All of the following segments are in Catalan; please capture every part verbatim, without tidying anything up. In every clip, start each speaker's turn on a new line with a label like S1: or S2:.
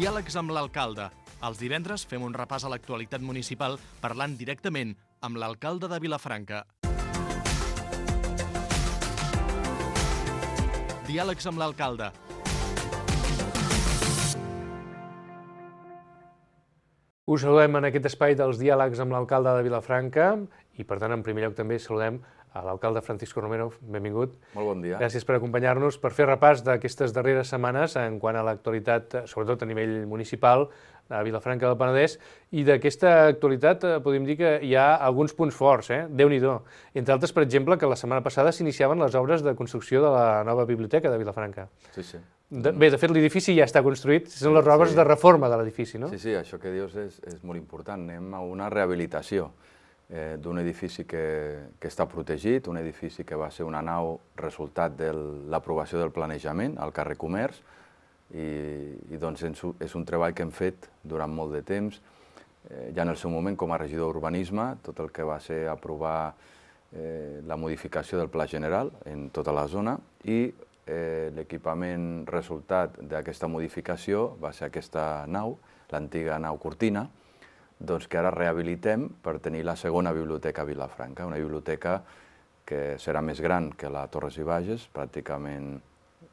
S1: Diàlegs amb l'alcalde. Els divendres fem un repàs a l'actualitat municipal parlant directament amb l'alcalde de Vilafranca. Diàlegs amb l'alcalde.
S2: Us saludem en aquest espai dels diàlegs amb l'alcalde de Vilafranca i, per tant, en primer lloc també saludem a l'alcalde Francisco Romero. Benvingut.
S3: Molt bon dia.
S2: Gràcies per acompanyar-nos, per fer repàs d'aquestes darreres setmanes en quant a l'actualitat, sobretot a nivell municipal, a Vilafranca del Penedès, i d'aquesta actualitat podem dir que hi ha alguns punts forts, eh? Déu-n'hi-do. Entre altres, per exemple, que la setmana passada s'iniciaven les obres de construcció de la nova biblioteca de Vilafranca.
S3: Sí, sí.
S2: De, bé, de fet, l'edifici ja està construït, són les obres
S3: sí.
S2: de reforma de l'edifici, no?
S3: Sí, sí, això que dius és, és molt important. Anem a una rehabilitació eh, d'un edifici que, que està protegit, un edifici que va ser una nau resultat de l'aprovació del planejament al carrer Comerç, i, i doncs és un treball que hem fet durant molt de temps. Eh, ja en el seu moment, com a regidor d'Urbanisme, tot el que va ser aprovar eh, la modificació del Pla General en tota la zona, i eh, l'equipament resultat d'aquesta modificació va ser aquesta nau, l'antiga nau Cortina, doncs que ara rehabilitem per tenir la segona biblioteca a Vilafranca, una biblioteca que serà més gran que la Torres i Bages, pràcticament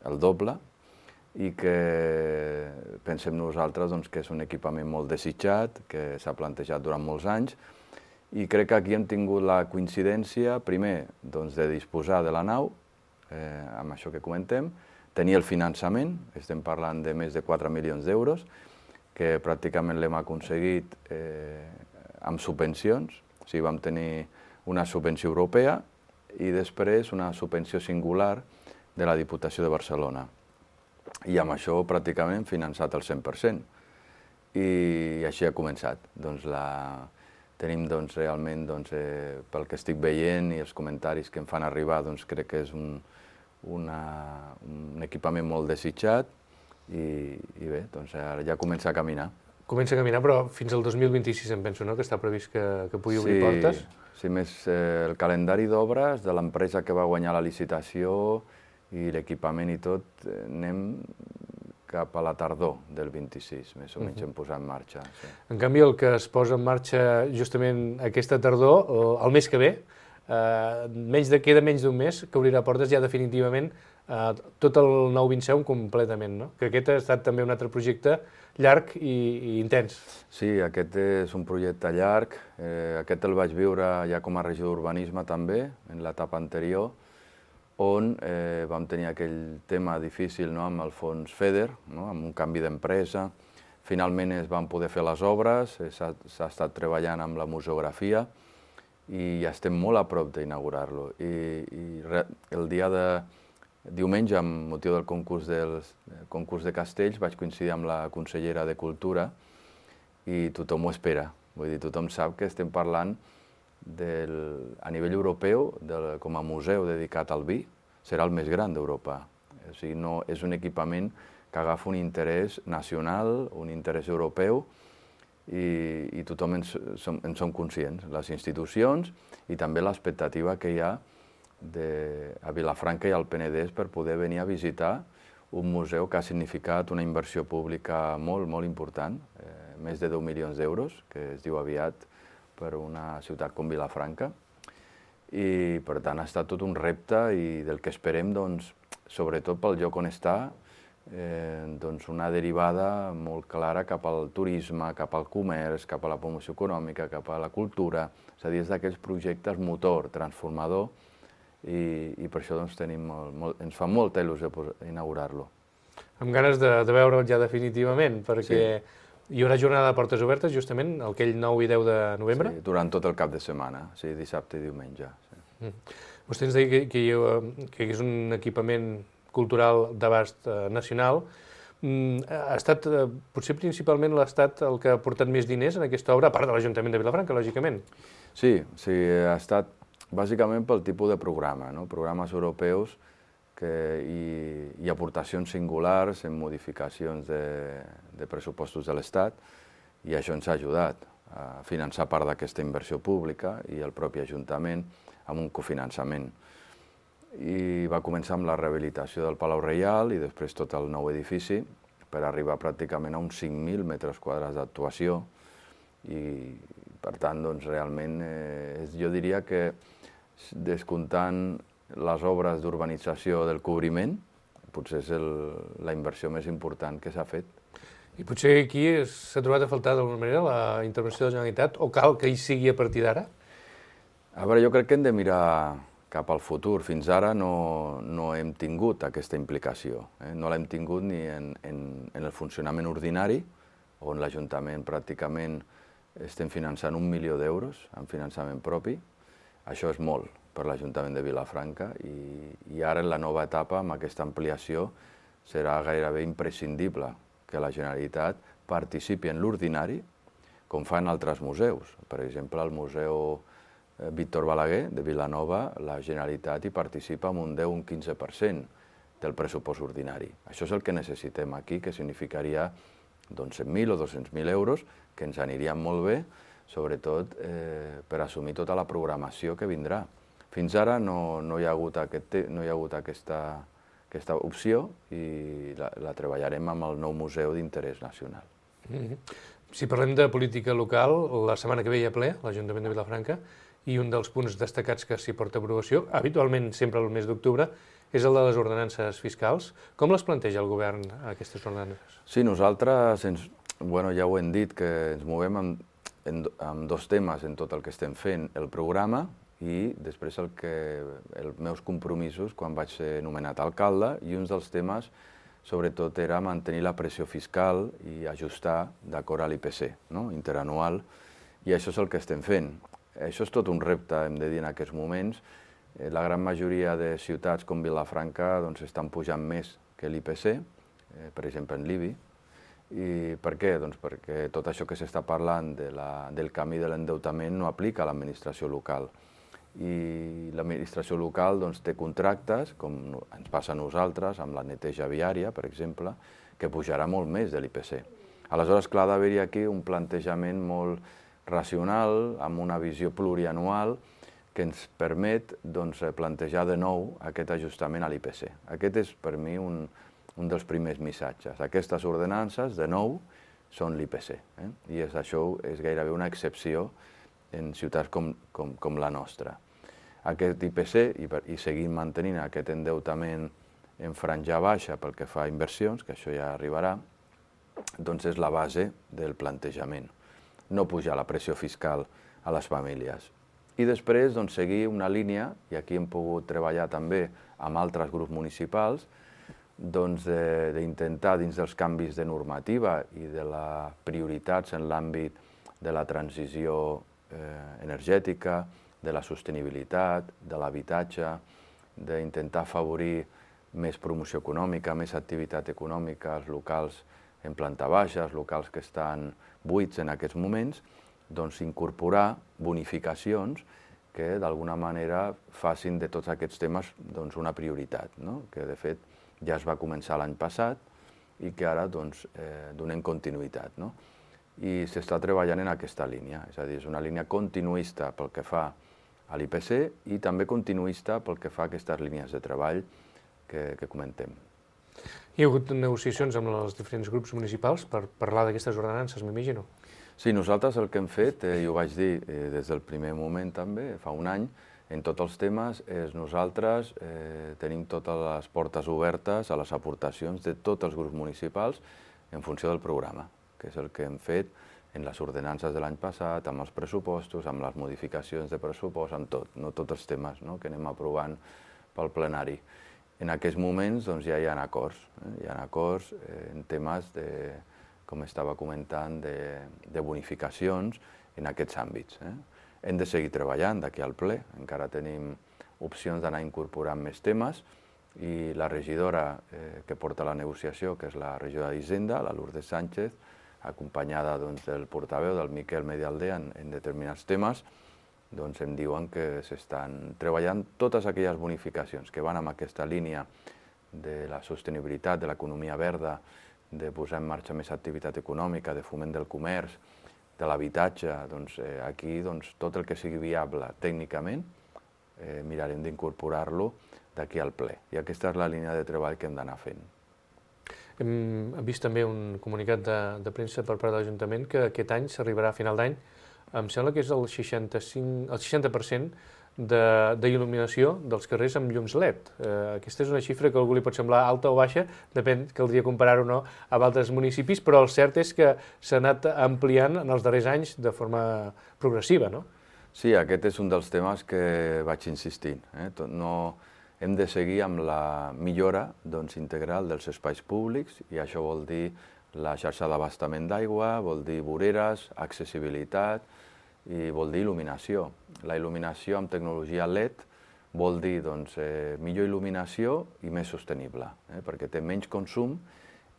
S3: el doble, i que pensem nosaltres doncs, que és un equipament molt desitjat, que s'ha plantejat durant molts anys, i crec que aquí hem tingut la coincidència, primer, doncs, de disposar de la nau, eh, amb això que comentem, tenir el finançament, estem parlant de més de quatre milions d'euros, que pràcticament l'hem aconseguit eh, amb subvencions, o sigui, vam tenir una subvenció europea i després una subvenció singular de la Diputació de Barcelona. I amb això pràcticament hem finançat el cent per cent. I així ha començat. Doncs la... Tenim doncs, realment, doncs, eh, pel que estic veient i els comentaris que em fan arribar, doncs, crec que és un, una, un equipament molt desitjat i, i bé, doncs, ara ja comença a caminar.
S2: Comença a caminar, però fins al dos mil vint-i-sis em penso, no?, que està previst que, que pugui obrir
S3: sí,
S2: portes.
S3: Sí, més eh, el calendari d'obres de l'empresa que va guanyar la licitació i l'equipament i tot, eh, anem cap a la tardor del vint-i-sis, més o menys, uh-huh. hem posat en marxa. Sí.
S2: En canvi, el que es posa en marxa justament aquesta tardor, o el mes que ve, eh, menys de, queda menys d'un mes, que obrirà portes ja definitivament eh, tot el nou vint set completament, no? Que aquest ha estat també un altre projecte llarg i, i intens.
S3: Sí, aquest és un projecte llarg. Eh, aquest el vaig viure ja com a regidor d'Urbanisme també, en l'etapa anterior, on eh, vam tenir aquell tema difícil, no?, amb el fons FEDER, no?, amb un canvi d'empresa. Finalment es van poder fer les obres, s'ha estat treballant amb la museografia i ja estem molt a prop d'inaugurar-lo. I, i re, el dia de diumenge, amb motiu del concurs, del concurs de castells, vaig coincidir amb la consellera de Cultura i tothom ho espera. Vull dir, tothom sap que estem parlant del, a nivell europeu, del, com a museu dedicat al vi, serà el més gran d'Europa. O sigui, no, és un equipament que agafa un interès nacional, un interès europeu, i, i tothom en som, en som conscients, les institucions i també l'expectativa que hi ha de, a Vilafranca i al Penedès per poder venir a visitar un museu que ha significat una inversió pública molt, molt important, eh, més de deu milions d'euros, que es diu aviat, per una ciutat com Vilafranca, i per tant ha estat tot un repte i del que esperem, doncs, sobretot pel lloc on està, eh, doncs una derivada molt clara cap al turisme, cap al comerç, cap a la promoció econòmica, cap a la cultura, és a dir, és d'aquells projectes motor, transformador, i, i per això doncs, tenim molt, molt, ens fa molta il·lusió inaugurar-lo.
S2: Amb ganes de, de veure'l ja definitivament, perquè sí. Hi haurà jornada de portes obertes justament aquell nou i deu de novembre?
S3: Sí, durant tot el cap de setmana, sí, dissabte i diumenge. Sí.
S2: Mm. Vostè ens deia que, que, hi, que és un equipament cultural d'abast eh, nacional. Mm, ha estat, eh, potser principalment l'Estat el que ha portat més diners en aquesta obra, a part de l'Ajuntament de Vilafranca, lògicament.
S3: Sí, sí, ha estat bàsicament pel tipus de programa, no? Programes europeus que, i, i aportacions singulars en modificacions de, de pressupostos de l'Estat, i això ens ha ajudat a finançar part d'aquesta inversió pública i el propi Ajuntament amb un cofinançament. I va començar amb la rehabilitació del Palau Reial i després tot el nou edifici, per arribar pràcticament a uns cinc mil metres quadrats d'actuació i, per tant, doncs, realment, eh, jo diria que descomptant les obres d'urbanització del cobriment, potser és el, la inversió més important que s'ha fet.
S2: I potser aquí s'ha trobat a faltar d'alguna manera la intervenció de la Generalitat, o cal que hi sigui a partir d'ara?
S3: A veure, jo crec que hem de mirar cap al futur. Fins ara no, no hem tingut aquesta implicació. Eh? No l'hem tingut ni en, en, en el funcionament ordinari, on l'Ajuntament pràcticament estem finançant un milió d'euros en finançament propi. Això és molt per l'Ajuntament de Vilafranca i, i ara en la nova etapa, amb aquesta ampliació, serà gairebé imprescindible que la Generalitat participi en l'ordinari, com fan altres museus. Per exemple, el Museu Víctor Balaguer de Vilanova, la Generalitat hi participa amb un deu a un quinze per cent del pressupost ordinari. Això és el que necessitem aquí, que significaria doncs, cent mil o dos-cents mil euros, que ens anirien molt bé, sobretot eh, per assumir tota la programació que vindrà. Fins ara no, no hi ha hagut, aquest, no hi ha hagut aquesta, aquesta opció i la, la treballarem amb el nou museu d'interès nacional.
S2: Mm-hmm. Si parlem de política local, la setmana que ve hi ha ple, l'Ajuntament de Vilafranca, i un dels punts destacats que s'hi porta a aprovació, habitualment sempre el mes d'octubre, és el de les ordenances fiscals. Com les planteja el govern, aquestes ordenances?
S3: Sí, nosaltres, ens, bueno, ja ho hem dit, que ens movem amb, en, amb dos temes en tot el que estem fent, el programa i després el que, els meus compromisos quan vaig ser nomenat alcalde, i un dels temes sobretot era mantenir la pressió fiscal i ajustar d'acord a l'I P C, no? Interanual, i això és el que estem fent. Això és tot un repte, hem de dir, en aquests moments. La gran majoria de ciutats com Vilafranca doncs, estan pujant més que l'I P C, eh, per exemple en l'I B I. I per què? Doncs perquè tot això que s'està parlant de la, del camí de l'endeutament no aplica a l'administració local. I l'administració local doncs, té contractes, com ens passa a nosaltres, amb la neteja viària, per exemple, que pujarà molt més de l'I P C. Aleshores, clar, ha d'haver-hi aquí un plantejament molt racional, amb una visió plurianual, que ens permet doncs, plantejar de nou aquest ajustament a l'I P C. Aquest és, per mi, un, un dels primers missatges. Aquestes ordenances, de nou, són l'I P C. Eh? I és, això és gairebé una excepció en ciutats com, com, com la nostra. Aquest I P C, i, i seguim mantenint aquest endeutament en franja baixa pel que fa a inversions, que això ja arribarà, doncs és la base del plantejament. No pujar la pressió fiscal a les famílies. I després doncs, seguir una línia, i aquí hem pogut treballar també amb altres grups municipals, doncs, d'intentar, dins dels canvis de normativa i de les prioritats en l'àmbit de la transició eh, energètica, de la sostenibilitat, de l'habitatge, d'intentar afavorir més promoció econòmica, més activitat econòmica als locals en planta baixa, els locals que estan buits en aquests moments, doncs incorporar bonificacions que d'alguna manera facin de tots aquests temes doncs, una prioritat, no? Que de fet ja es va començar l'any passat i que ara doncs, eh, donem continuïtat. No? I s'està treballant en aquesta línia, és a dir, és una línia continuista pel que fa a l'I P C i també continuista pel que fa a aquestes línies de treball que, que comentem.
S2: Hi ha hagut negociacions amb els diferents grups municipals per parlar d'aquestes ordenances, m'imagino?
S3: Sí, nosaltres el que hem fet, eh, i ho vaig dir eh, des del primer moment també, fa un any, en tots els temes, és nosaltres eh, tenim totes les portes obertes a les aportacions de tots els grups municipals en funció del programa, que és el que hem fet en les ordenances de l'any passat, amb els pressupostos, amb les modificacions de pressupost, amb tot, no tots els temes no? que anem aprovant pel plenari. En aquests moments doncs, ja hi ha acords, eh? hi ha acords eh, en temes, de, com estava comentant, de, de bonificacions en aquests àmbits. Eh? Hem de seguir treballant d'aquí al ple, encara tenim opcions d'anar incorporant més temes i la regidora eh, que porta la negociació, que és la regidora d'Hisenda, la Lourdes Sánchez, acompanyada doncs, del portaveu, del Miquel Medialdea, en, en determinats temes, doncs em diuen que s'estan treballant totes aquelles bonificacions que van amb aquesta línia de la sostenibilitat, de l'economia verda, de posar en marxa més activitat econòmica, de foment del comerç, de l'habitatge, doncs eh, aquí doncs, tot el que sigui viable tècnicament eh, mirarem d'incorporar-lo d'aquí al ple. I aquesta és la línia de treball que hem d'anar fent.
S2: Hem vist també un comunicat de, de premsa per part de l'Ajuntament que aquest any s'arribarà a final d'any, em sembla que és el seixanta-cinc, el seixanta per cent d'il·luminació de, dels carrers amb llums L E D. Eh, aquesta és una xifra que a algú li pot semblar alta o baixa, depèn, caldria comparar-ho o no amb altres municipis, però el cert és que s'ha anat ampliant en els darrers anys de forma progressiva, no?
S3: Sí, aquest és un dels temes que vaig insistint. Eh? No, hem de seguir amb la millora doncs, integral dels espais públics, i això vol dir la xarxa d'abastament d'aigua, vol dir voreres, accessibilitat, i vol dir il·luminació. La il·luminació amb tecnologia L E D vol dir doncs, eh, millor il·luminació i més sostenible, eh, perquè té menys consum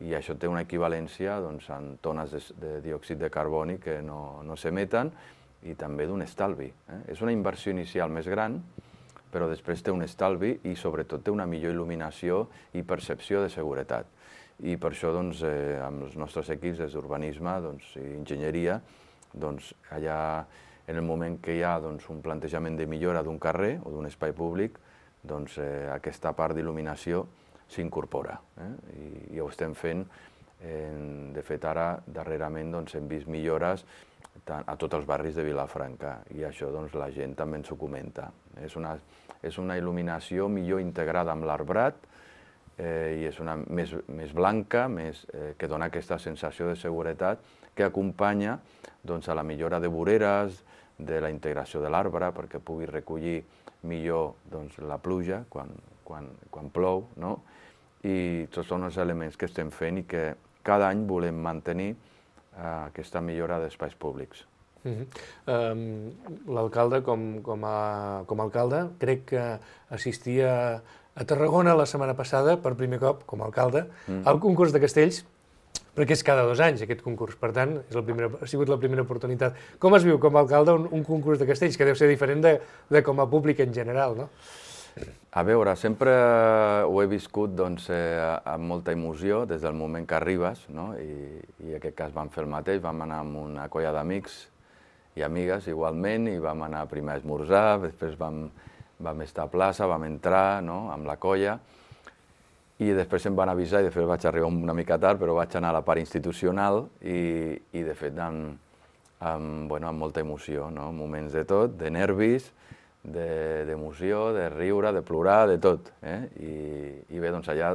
S3: i això té una equivalència doncs, en tones de, de diòxid de carboni que no, no s'emeten i també d'un estalvi. Eh. És una inversió inicial més gran, però després té un estalvi i sobretot té una millor il·luminació i percepció de seguretat. I per això doncs, eh, amb els nostres equips d'urbanisme doncs, i enginyeria, doncs, allà en el moment que hi ha doncs, un plantejament de millora d'un carrer o d'un espai públic, doncs, eh, aquesta part d'il·luminació s'incorpora. Eh? I, I ho estem fent. Eh, de fet, ara, darrerament, doncs, hem vist millores a tots els barris de Vilafranca i això doncs, la gent també ens ho comenta. És una, és una il·luminació millor integrada amb l'arbrat eh, i és una més, més blanca, més, eh, que dona aquesta sensació de seguretat que acompanya doncs, a la millora de voreres, de la integració de l'arbre, perquè pugui recollir millor doncs, la pluja quan, quan, quan plou, no? I tots són els elements que estem fent i que cada any volem mantenir eh, aquesta millora d'espais públics.
S2: Uh-huh. um, L'alcalde, com, com, a, com a alcalde, crec que assistia a Tarragona la setmana passada, per primer cop, com a alcalde, mm. al concurs de castells, perquè és cada dos anys aquest concurs, per tant, és el primer, ha sigut la primera oportunitat. Com es viu com a alcalde un, un concurs de castells, que deu ser diferent de, de com a públic en general, no?
S3: A veure, sempre ho he viscut doncs, eh, amb molta emoció des del moment que arribes, no? I, i en aquest cas vam fer el mateix, vam anar amb una colla d'amics i amigues igualment, i vam anar primer a esmorzar, després vam, vam estar a plaça, vam entrar, no? Amb la colla, i després em van avisar, i de fet vaig arribar una mica tard, però vaig anar a la part institucional i, i de fet amb, amb, bueno, amb molta emoció, no? Moments de tot, de nervis, d'emoció, de, de riure, de plorar, de tot. Eh? I, I bé, doncs allà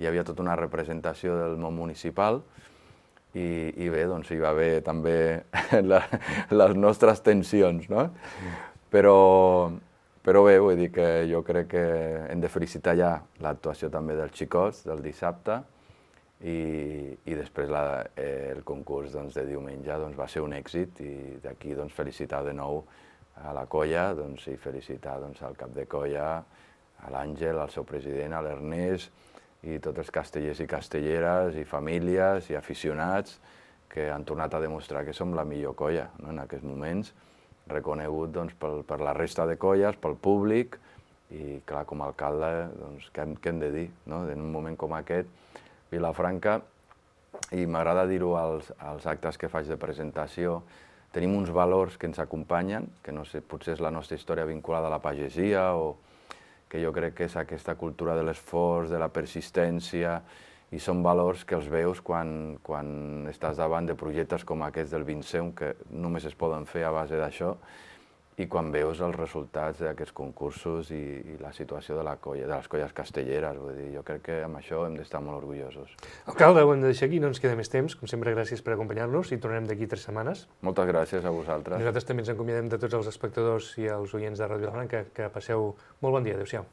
S3: hi havia tota una representació del món municipal i, i bé, doncs hi va haver també la, les nostres tensions, no? Però... Però bé, vull dir que jo crec que hem de felicitar ja l'actuació també dels xicots del dissabte i, i després la, eh, el concurs doncs, de diumenge doncs, va ser un èxit i d'aquí doncs, felicitar de nou a la colla doncs, i felicitar doncs, al cap de colla, a l'Àngel, al seu president, a l'Ernest i tots els castellers i castelleres i famílies i aficionats que han tornat a demostrar que som la millor colla, no? En aquests moments, reconegut doncs, per, per la resta de colles, pel públic, i clar, com a alcalde, doncs, què, què hem de dir, no? En un moment com aquest, Vilafranca, i m'agrada dir-ho als, als actes que faig de presentació, tenim uns valors que ens acompanyen, que no sé, potser és la nostra història vinculada a la pagesia, o que jo crec que és aquesta cultura de l'esforç, de la persistència, i són valors que els veus quan, quan estàs davant de projectes com aquests del Vinceum, que només es poden fer a base d'això, i quan veus els resultats d'aquests concursos i, i la situació de, la colla, de les colles castelleres. Vull dir, jo crec que amb això hem d'estar molt orgullosos.
S2: Alcalde, ho hem de deixar aquí, no ens queda més temps. Com sempre, gràcies per acompanyar-nos i tornarem d'aquí tres setmanes.
S3: Moltes gràcies a vosaltres.
S2: Nosaltres també ens acomiadem de tots els espectadors i els oients de Ràdio Vilafranca. Que passeu molt bon dia. Adéu-siau.